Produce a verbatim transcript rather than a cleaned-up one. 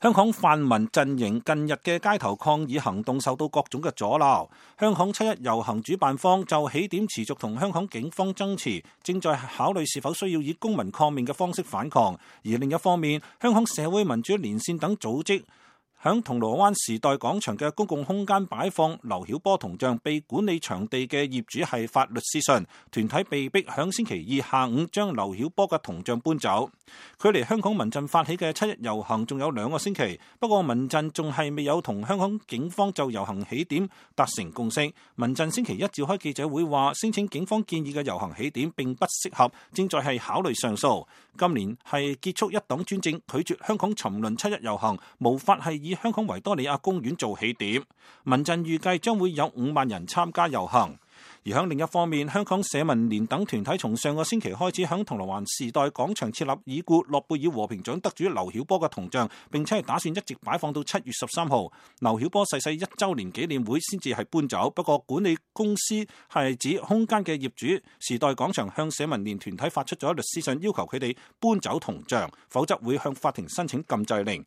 香港泛民陣營近日嘅街頭抗議行動受到各種嘅阻撓。香港七一遊行主辦方就起點持續同香港警方爭持，正在考慮是否需要以公民抗命嘅方式反抗。而另一方面，香港社會民主連線等組織響銅鑼灣時代廣場嘅公共空間擺放劉曉波銅像，被管理場地嘅業主係發律師信，團體被逼響星期二下午將劉曉波嘅銅像搬走。距離香港民陣發起嘅七一遊行仲有兩個星期，不過民陣仲係未有同香港警方就遊行起點達成共識。民陣星期一召開記者會話，聲稱警方建議嘅遊行起點並不適合，正在係考慮上訴。今年係結束一黨專政，拒絕香港沉淪七一遊行，無法係以香港維多利亞公園做起點。民陣預計將會有五萬人參加遊行。而喺另一方面，香港社民連等團體從上個星期開始喺銅鑼灣時代廣場設立已故諾貝爾和平獎得主劉曉波嘅銅像，並且係打算一直擺放到七月十三號劉曉波逝世一週年紀念會先至係搬走。不過管理公司係指空間嘅業主時代廣場向社民連團體發出咗律師信，要求佢哋搬走銅像，否則會向法庭申請禁制令。